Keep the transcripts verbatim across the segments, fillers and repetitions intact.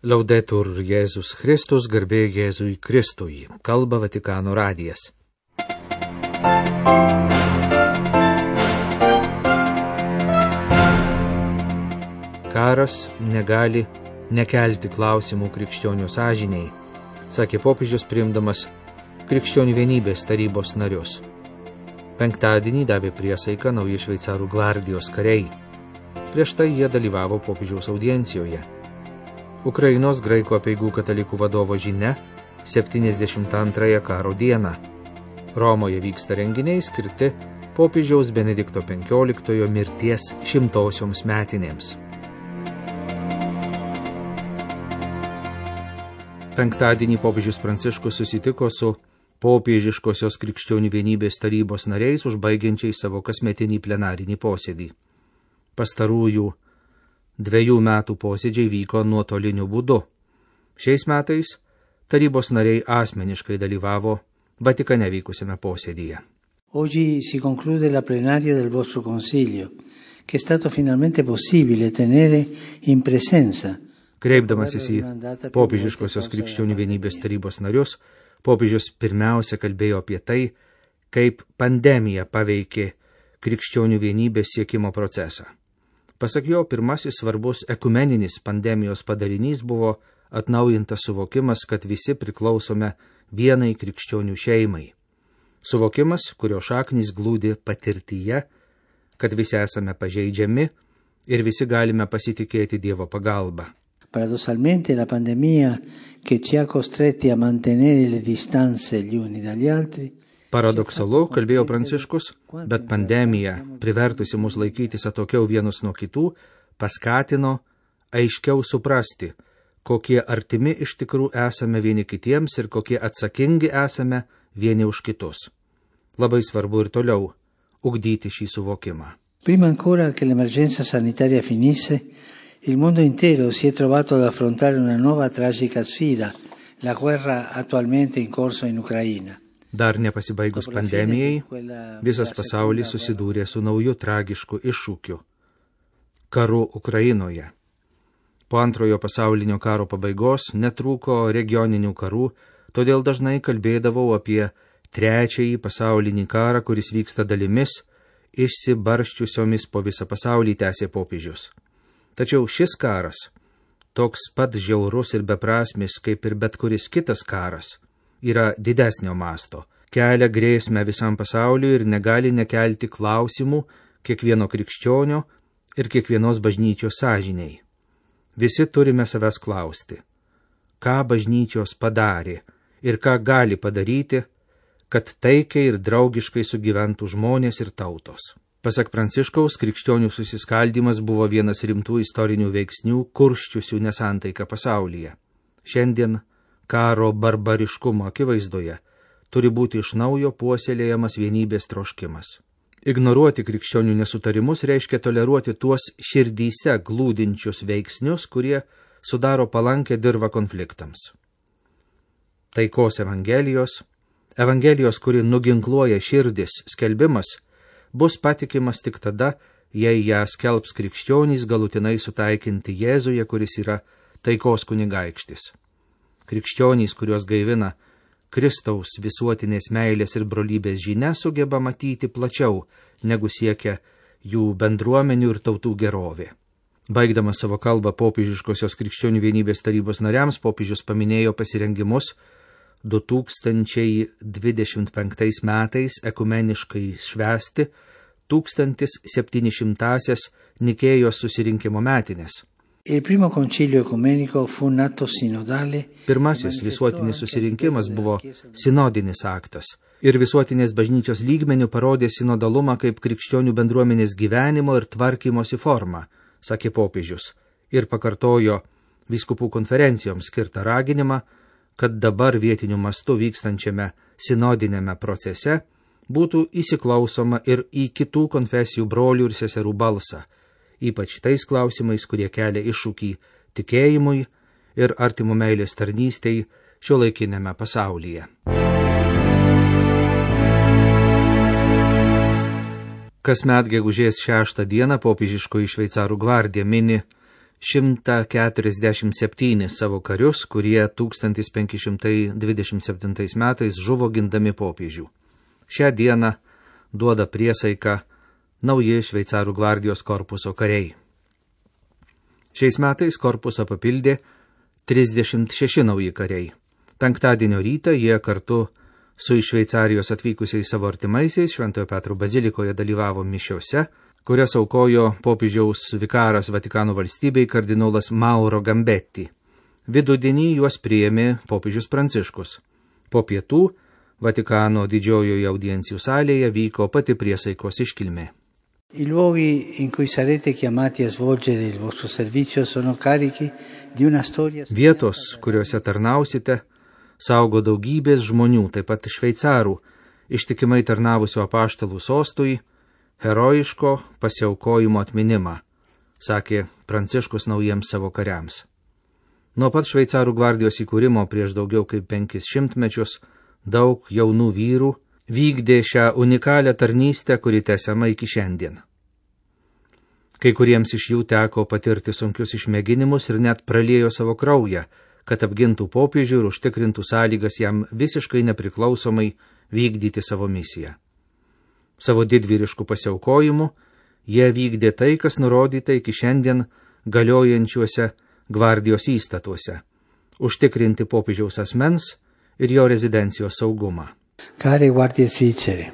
Laudetur Jėzus Kristus, garbė Jėzui Kristui, kalba Vatikano radijas. Karas negali nekelti klausimų krikščionių sąžiniai, sakė popiežius priimdamas Krikščionių vienybės tarybos narius. Penktadienį davė priesaiką nauji šveicarų gvardijos kariai. Prieš tai jie dalyvavo popiežiaus audiencijoje. Ukrainos graikų apeigų katalikų vadovo žinia septyniasdešimt antrąją karo dieną. Romoje vyksta renginiai skirti popiežiaus Benedikto penkioliktojo mirties šimtosioms metinėms. Penktadienį popiežius Pranciškus susitiko su popiežiškosios Krikščionių vienybės tarybos nariais, užbaigiančiais savo kasmetinį plenarinį posėdį. Pastarųjų dviejų metų posėdžiai vyko nuotoliniu būdu. Šiais metais tarybos nariai asmeniškai dalyvavo Vatikane vykusiame posėdyje. Oggi si conclude la plenaria del vostro Consiglio, che è stato finalmente possibile tenere in presenza. Kreipdamasis į popiežiškosios Krikščionių vienybės tarybos narius, popiežius pirmiausia kalbėjo apie tai, kaip pandemija paveikė krikščionių vienybės siekimo procesą. Pasak jo, pirmasis svarbus ekumeninis pandemijos padarinys buvo atnaujintas suvokimas, kad visi priklausome vienai krikščionių šeimai. Suvokimas, kurio šaknys glūdi patirtyje, kad visi esame pažeidžiami ir visi galime pasitikėti Dievo pagalba. Paradossalmente la pandemia che ci ha costretti a mantenere le distanze gli uni dagli altri. Paradoksalu, kalbėjo Pranciškus, bet pandemija, privertusi mus laikytis atokiau vienus nuo kitų, paskatino aiškiau suprasti, kokie artimi iš tikrųjų esame vieni kitiems ir kokie atsakingi esame vieni už kitus. Labai svarbu ir toliau ugdyti šį suvokimą. Prima ancora che l'emergenza sanitaria finisse, il mondo intero si è trovato ad affrontare una nuova tragica sfida, la guerra attualmente in corso in Ucraina. Dar nepasibaigus pandemijai, visas pasaulis susidūrė su nauju tragišku iššūkiu – karu Ukrainoje. Po antrojo pasaulinio karo pabaigos netrūko regioninių karų, todėl dažnai kalbėdavau apie trečiąjį pasaulinį karą, kuris vyksta dalimis, išsibarsčiusiomis po visą pasaulį, tęsė popiežius. Tačiau šis karas, toks pat žiaurus ir beprasmis kaip ir bet kuris kitas karas, yra didesnio masto, kelia grėsmę visam pasauliu ir negali nekelti klausimų kiekvieno krikščionio ir kiekvienos bažnyčios sąžiniai. Visi turime savęs klausti, ką bažnyčios padarė ir ką gali padaryti, kad taikiai ir draugiškai sugyventų žmonės ir tautos. Pasak Pranciškaus, krikščionių susiskaldimas buvo vienas rimtų istorinių veiksnių, kurščiusių nesantaiką pasaulyje. Šiandien karo barbariškumo akivaizdoje turi būti iš naujo puoselėjamas vienybės troškimas. Ignoruoti krikščionių nesutarimus reiškia toleruoti tuos širdyse glūdinčius veiksnius, kurie sudaro palankę dirvą konfliktams. Taikos evangelijos, evangelijos, kuri nuginkluoja širdis, skelbimas, bus patikimas tik tada, jei ją skelbs krikščionys galutinai sutaikinti Jėzuje, kuris yra taikos kunigaikštis. Krikščionys, kuriuos gaivina Kristaus visuotinės meilės ir brolybės žinia, sugeba matyti plačiau, negu siekia jų bendruomenių ir tautų gerovė. Baigdamas savo kalbą popiežiškosios Krikščionių vienybės tarybos nariams, popiežius paminėjo pasirengimus du tūkstančiai dvidešimt penktais metais ekumeniškai švęsti tūkstantis septynišimtąsias Nikėjos susirinkimo metinės. Il primo concilio ecumenico fu un atto sinodale. Pirmasis visuotinis susirinkimas buvo sinodinis aktas ir visuotinės bažnyčios lygmenių parodė sinodalumą kaip krikščionių bendruomenės gyvenimo ir tvarkymosi formą, sakė popiežius, ir pakartojo vyskupų konferencijoms skirtą raginimą, kad dabar vietiniu mastu vykstančiame sinodinėme procese būtų įsiklausoma ir į kitų konfesijų brolių ir seserų balsą, ypač tais klausimais, kurie kelia iššūkį tikėjimui ir artimų meilės tarnystei šiuolaikinėme pasaulyje. Kasmet gegužės šeštą dieną popiežiškoji šveicarų gvardija mini šimtą keturiasdešimt septynis savo karius, kurie tūkstantis penki šimtai dvidešimt septintais metais žuvo gindami popiežių. Šią dieną duoda priesaiką nauji šveicarų gvardijos korpuso kariai. Šiais metais korpusą papildė trisdešimt šeši nauji kariai. Penktadienio rytą jie kartu su iš Šveicarijos atvykusiais savo artimaisiais Šventojo Petro bazilikoje dalyvavo mišiose, kurias aukojo popiežiaus vikaras Vatikano valstybei kardinolas Mauro Gambetti. Vidudienį juos priėmė popiežius Pranciškus. Po pietų Vatikano didžiojoje audiencijų salėje vyko pati priesaikos iškilmė. I luoghi in cui sarete chiamati a svolgere il vostro servizio sono carichi di una storia. Vietos, kuriuose tarnausite, saugo daugybės žmonių, taip pat šveicarų, ištikimai tarnavusių apaštalų sostui, herojiško pasiaukojimo atminimą, sakė Pranciškus naujiems savo kariams. Nuo pat šveicarų gvardijos įkūrimo prieš daugiau kaip penkis šimtmečius daug jaunų vyrų vykdė šią unikalią tarnystę, kuri tęsiama iki šiandien. Kai kuriems iš jų teko patirti sunkius išmėginimus ir net praliejo savo kraują, kad apgintų popiežių ir užtikrintų sąlygas jam visiškai nepriklausomai vykdyti savo misiją. Savo didvyriškų pasiaukojimų jie vykdė tai, kas nurodyta iki šiandien galiojančiuose gvardijos įstatuose – užtikrinti popiežiaus asmens ir jo rezidencijos saugumą. Care guardie svizzere,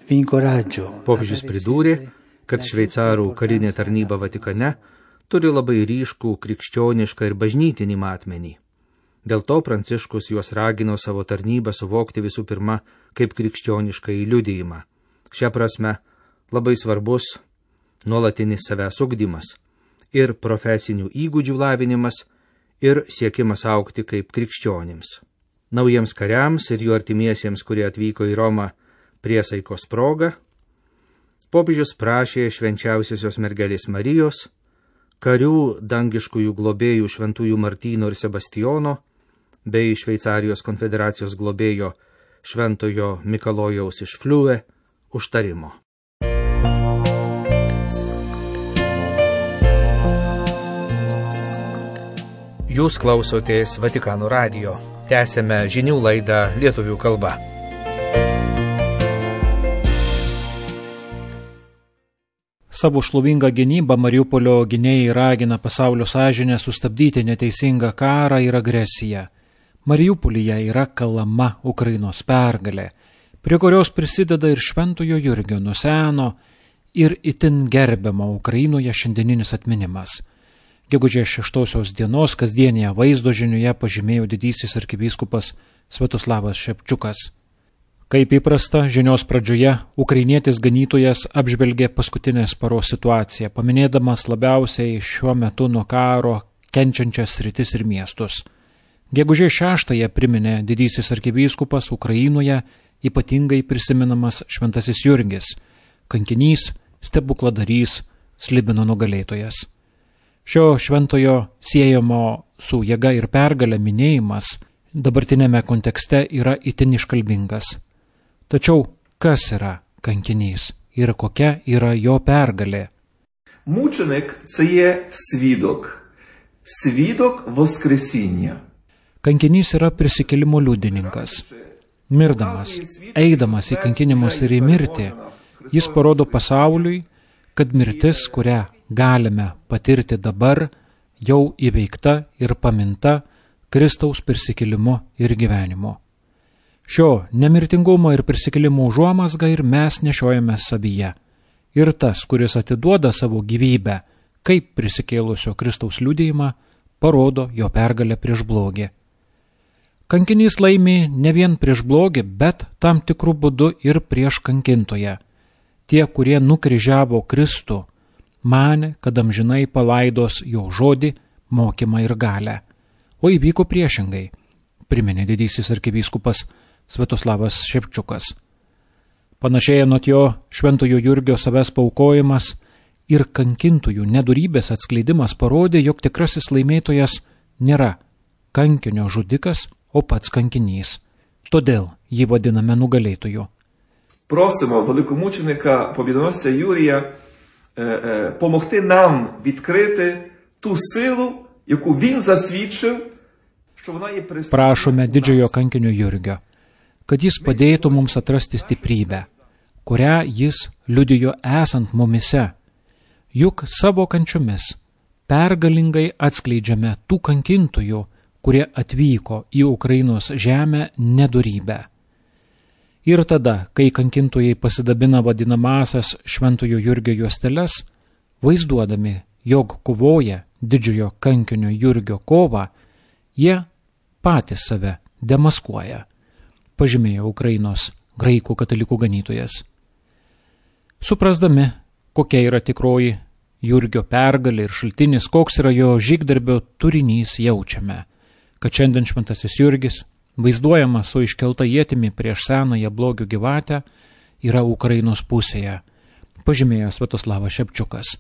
vi incoraggio. Popiežius pridūrė, kad šveicarų karinė tarnyba Vatikane turi labai ryškų krikščionišką ir bažnytinį matmenį. Dėl to Pranciškus juos ragino savo tarnybą suvokti visų pirma kaip krikščionišką įliudijimą. Šia prasme labai svarbus nuolatinis savęs ugdymas ir profesinių įgūdžių lavinimas ir siekimas augti kaip krikščionims. Naujiems kariams ir jų artimiesiems, kurie atvyko į Romą priesaikos proga, popiežius prašė švenčiausiosios mergelės Marijos, karių dangiškųjų globėjų šventųjų Martyno ir Sebastijono, bei Šveicarijos konfederacijos globėjo šventojo Mikalojaus iš Fliue užtarimo. Jūs klausotės Vatikano radijo. Tęsėme žinių laidą lietuvių kalba. Savo šlovingą gynybą Mariupolio gynėjai ragina pasaulio sąžinę sustabdyti neteisingą karą ir agresiją. Mariupolyje yra kalama Ukrainos pergalė, prie kurios prisideda ir Šventojo Jurgio nuo seno ir itin gerbiamo Ukrainoje šiandieninis atminimas. Gegužės šeštosios dienos kasdienėje vaizdo žinioje pažymėjo didysis arkivyskupas Sviatoslavas Šepčiukas. Kaip įprasta, žinios pradžioje ukrainietis ganytojas apžvelgė paskutinės paros situaciją, paminėdamas labiausiai šiuo metu nuo karo kenčiančias sritis ir miestus. Gegužės šeštąją priminė didysis arkivyskupas Ukrainoje ypatingai prisiminamas Šventasis Jurgis, kankinys, stebukladarys, Slibino nugalėtojas. Šio šventojo siejamo su jėga ir pergalė minėjimas dabartinėme kontekste yra itin iškalbingas. Tačiau kas yra kankinys ir kokia yra jo pergalė? Мученик – це є свідок. Свідок воскресіння. Kankinys yra prisikėlimo liudininkas. Mirdamas, eidamas į kankinimus ir į mirtį, jis parodo pasauliui, kad mirtis, kurią galime patirti dabar, jau įveikta ir paminta Kristaus prisikėlimu ir gyvenimu. Šio nemirtingumo ir prisikėlimo užuomazgą ir mes nešiojame savyje. Ir tas, kuris atiduoda savo gyvybę, kaip prisikėlusio Kristaus liudijimą, parodo jo pergalę prieš blogį. Kankinys laimi ne vien prieš blogį, bet tam tikrų būdų ir prieš kankintoją. Tie, kurie nukryžiavo Kristų, manė, kad amžinai palaidos jo žodį, mokymą ir galę. O įvyko priešingai, priminė didysis arkivyskupas Sviatoslavas Šepčiukas. Panašiai anot jo Šventojo Jurgio savęs paaukojimas ir kankintojų nedorybės atskleidimas parodė, jog tikrasis laimėtojas nėra kankinio žudikas, o pats kankinys. Todėl jį vadiname nugalėtoju. Просимо великомученика побідоносця Юрія е, е, помогти нам відкрити ту силу, яку він засвідчив, що вона є присутня. Prašome didžiojo kankinio Jurgio, kad jis padėtų mums atrasti stiprybę, kurią jis liudijo esant mumise, juk savo kančiomis pergalingai atskleidžiame tų kankintojų, kurie atvyko į Ukrainos žemę nedorybę. Ir tada, kai kankintojai pasidabina vadinamasias Šventojo Jurgio juosteles, vaizduodami, jog kovoja didžiojo kankinio Jurgio kovą, jie patys save demaskuoja, pažymėjo Ukrainos graikų katalikų ganytojas. Suprasdami, kokia yra tikroji Jurgio pergalė ir šaltinis, koks yra jo žygdarbio turinys, jaučiame, kad šiandien šventasis Jurgis, vaizduojamas su iškelta ietimi prieš senąją blogio gyvatę, yra Ukrainos pusėje, pažymėjo Sviatoslavas Šepčiukas,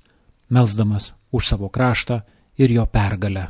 melsdamas už savo kraštą ir jo pergalę.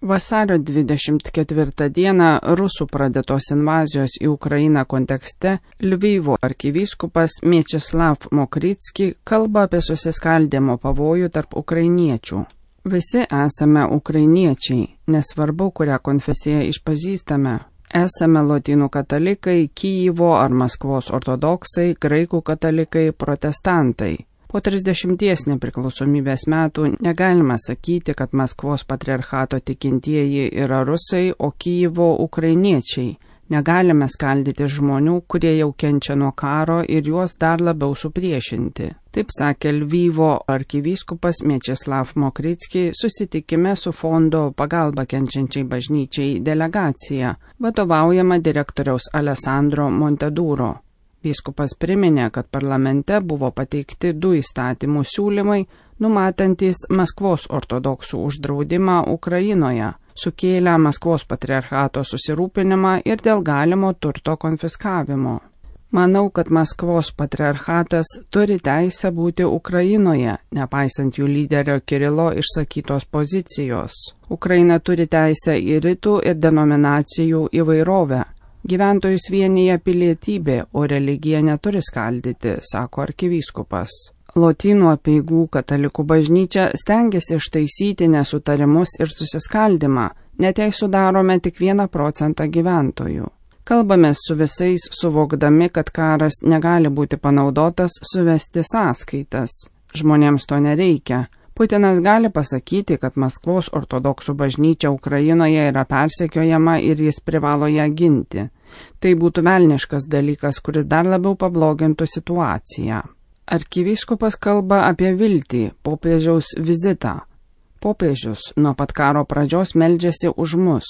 Vasario dvidešimt ketvirtą dieną rusų pradėtos invazijos į Ukrainą kontekste Lvivo arkivyskupas Mečeslav Mokrytski kalba apie susiskaldimo pavojų tarp ukrainiečių. Visi esame ukrainiečiai, nesvarbu, kurią konfesiją išpažįstame. Esame lotynų katalikai, Kijevo ar Maskvos ortodoksai, graikų katalikai, protestantai. Po trisdešimties nepriklausomybės metų negalima sakyti, kad Maskvos patriarchato tikintieji yra rusai, o Kijevo ukrainiečiai. Negalime skaldyti žmonių, kurie jau kenčia nuo karo ir juos dar labiau supriešinti. Taip sakė Lvivo arkivyskupas Mečeslav Mokrytski susitikime su fondo pagalba kenčiančiai bažnyčiai delegacija, vadovaujama direktoriaus Alessandro Monteduro. Vyskupas priminė, kad parlamente buvo pateikti du įstatymų siūlymai, numatantis Maskvos ortodoksų uždraudimą Ukrainoje, sukėlę Maskvos patriarchato susirūpinimą ir dėl galimo turto konfiskavimo. Manau, kad Maskvos patriarchatas turi teisę būti Ukrainoje, nepaisant jų lyderio Kirilo išsakytos pozicijos. Ukraina turi teisę į rytų ir denominacijų įvairovę. Gyventojus vienyje pilietybė, o religija neturi skaldyti, sako arkivyskupas. Lotynų apeigų katalikų bažnyčia stengiasi ištaisyti nesutarimus ir susiskaldimą, net jei sudarome tik vieną procentą gyventojų. Kalbamės su visais, suvokdami, kad karas negali būti panaudotas suvesti sąskaitas. Žmonėms to nereikia. Putinas gali pasakyti, kad Maskvos ortodoksų bažnyčia Ukrainoje yra persekiojama ir jis privalo ją ginti. Tai būtų velniškas dalykas, kuris dar labiau pablogintų situaciją. Arkivyskupas kalba apie viltį, popiežiaus vizitą. Popiežius nuo pat karo pradžios meldžiasi už mus.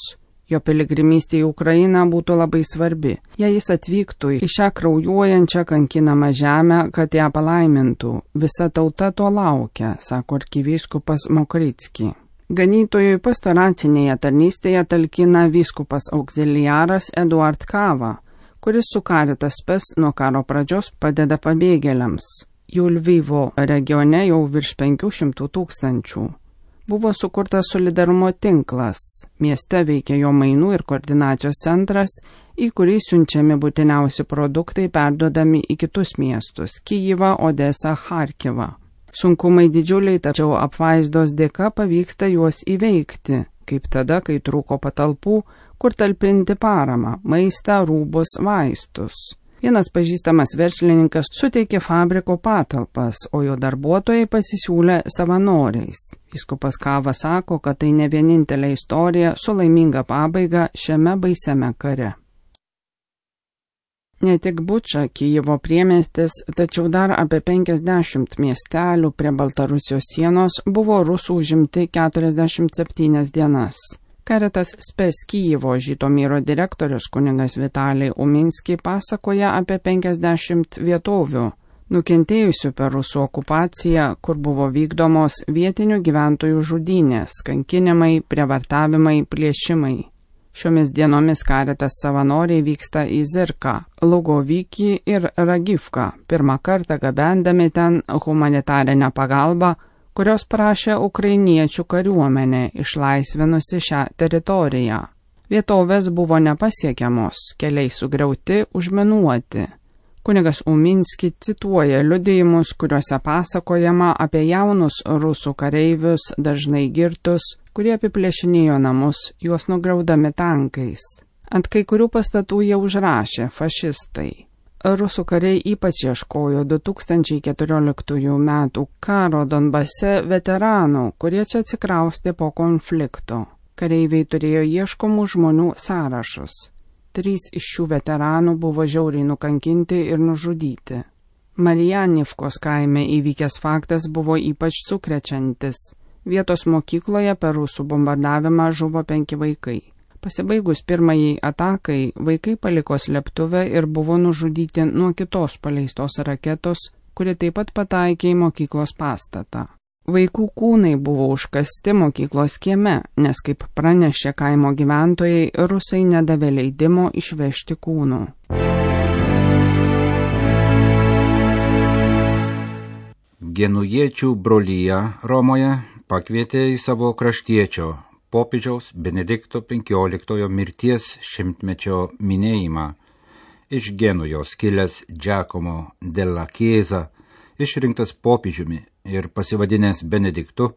Jo piligrimystė į Ukrainą būtų labai svarbi, jei jis atvyktų į šią kraujuojančią kankinamą žemę, kad ją palaimintų. Visa tauta to laukia, sako arkivyskupas Mokrytski. Ganytojui pastoracinėje tarnystėje talkina vyskupas auxiliaras Eduard Kava, kuris su Caritas Spes nuo karo pradžios padeda pabėgėliams. Jų Lvivo regione jau virš penkių šimtų tūkstančių. Buvo sukurtas solidarumo tinklas. Mieste veikia jo mainų ir koordinacijos centras, į kurį siunčiami būtiniausi produktai perduodami į kitus miestus – Kijevą, Odesą, Charkivą. Sunkumai didžiuliai, tačiau apvaizdos dėka pavyksta juos įveikti, kaip tada, kai trūko patalpų, kur talpinti paramą – maistą, rūbus, vaistus. Vienas pažįstamas verslininkas suteikė fabriko patalpas, o jo darbuotojai pasisiūlė savanoriais. Vyskupas Kava sako, kad tai ne vienintelė istorija su laiminga pabaiga šiame baisiame kare. Ne tik Buča, Kijevo priemiestis, tačiau dar apie penkiasdešimt miestelių prie Baltarusijos sienos buvo rusų užimti keturiasdešimt septynias dienas. Caritas Spes Kijevo Žytomyro direktorius kunigas Vitalij Uminski pasakoja apie penkiasdešimt vietovių, nukentėjusių per rusų okupaciją, kur buvo vykdomos vietinių gyventojų žudynės, kankinimai, prievartavimai, plėšimai. Šiomis dienomis Caritas savanoriai vyksta į Zirką, Lugovykį ir Ragivką, pirmą kartą gabendami ten humanitarinę pagalbą, kurios prašė ukrainiečių kariuomenė išlaisvinusi šią teritoriją. Vietovės buvo nepasiekiamos, keliai sugriauti, užminuoti. Kunigas Uminski cituoja liudijimus, kuriuose pasakojama apie jaunus rusų kareivius, dažnai girtus, kurie apiplėšinėjo namus, juos nugraudami tankais. Ant kai kurių pastatų jie užrašė fašistai. Rusų kariai ypač ieškojo du tūkstančiai keturioliktųjų metų karo Donbase veteranų, kurie čia atsikraustė po konflikto. Kareiviai turėjo ieškomų žmonių sąrašus. Trys iš šių veteranų buvo žiauriai nukankinti ir nužudyti. Marijanivkos kaime įvykęs faktas buvo ypač sukrečiantis. Vietos mokykloje per rusų bombardavimą žuvo penki vaikai. Pasibaigus pirmajai atakai, vaikai paliko slėptuvę ir buvo nužudyti nuo kitos paleistos raketos, kuri taip pat pataikė į mokyklos pastatą. Vaikų kūnai buvo užkasti mokyklos kieme, nes kaip pranešė kaimo gyventojai, rusai nedavė leidimo išvežti kūnų. Genujiečių brolija Romoje pakvietė į savo kraštiečio popiežiaus Benedikto penkioliktojo mirties šimtmečio minėjimą. Iš Genujos kilęs Giacomo della Chiesa, išrinktas popiežiumi ir pasivadinęs Benediktu,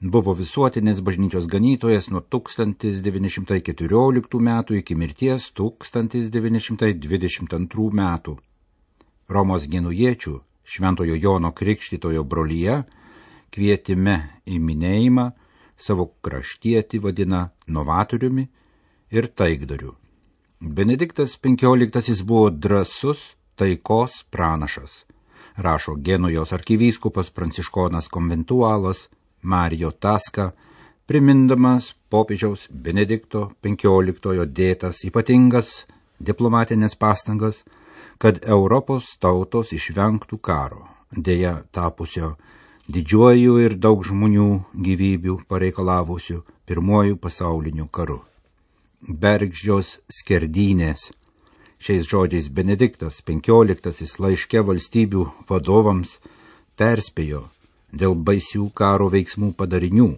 buvo visuotinės bažnyčios ganytojas nuo tūkstantis devyni šimtai keturioliktų metų iki mirties tūkstantis devyni šimtai dvidešimt antrų metų. Romos genujiečių Šventojo Jono Krikštytojo brolija kvietime į minėjimą savo kraštietį vadina novatoriumi ir taikdariu. Benediktas penkioliktasis buvo drąsus taikos pranašas, rašo Genujos arkivyskupas pranciškonas konventualas Mario Tasca, primindamas popiežiaus Benedikto penkioliktojo dėtas ypatingas diplomatinės pastangas, kad Europos tautos išvengtų karo, dėja tapusio didžiuoju ir daug žmonių gyvybių pareikalavusių pirmojų pasaulinių karų. Bergždžios skerdynės. Šiais žodžiais Benediktas penkioliktasis laiške valstybių vadovams perspėjo dėl baisių karo veiksmų padarinių.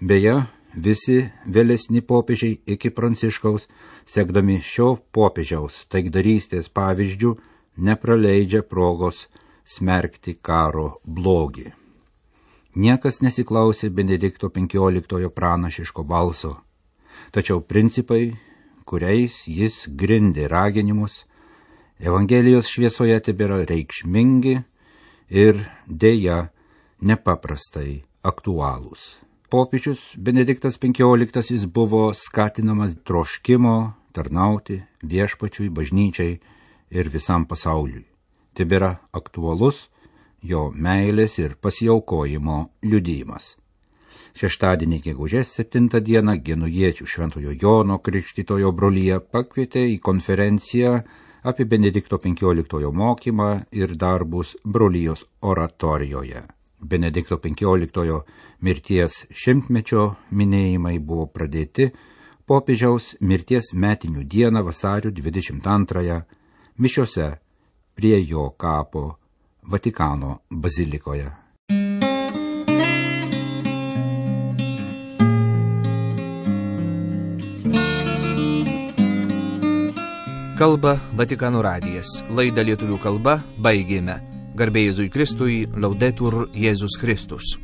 Beje, visi vėlesni popiežiai iki Pranciškaus, sekdami šio popiežiaus taikdarystės pavyzdžių, nepraleidžia progos smerkti karo blogį. Niekas nesiklausė Benedikto penkioliktojo pranašiško balso, tačiau principai, kuriais jis grindė raginimus, Evangelijos šviesoje tebėra reikšmingi ir dėja nepaprastai aktualūs. Popiežius Benediktas penkioliktasis buvo skatinamas troškimo tarnauti viešpačiui, bažnyčiai ir visam pasauliui. Tebėra aktualus jo meilės ir pasiaukojimo liudijimas. Šeštadienį gegužės septintą dieną genujiečių Šventojo Jono Krikštytojo brolija pakvietė į konferenciją apie Benedikto penkioliktojo mokymą ir darbus brolijos oratorijoje. Benedikto penkioliktojo mirties šimtmečio minėjimai buvo pradėti popiežiaus mirties metinių dieną vasario dvidešimt antrąją mišiose prie jo kapo Vatikano bazilikoje. Kalba Vatikano radijas. Laidą lietuvių kalba baigėme. Garbė Jėzui Kristui, Laudetur Jėzus Kristus.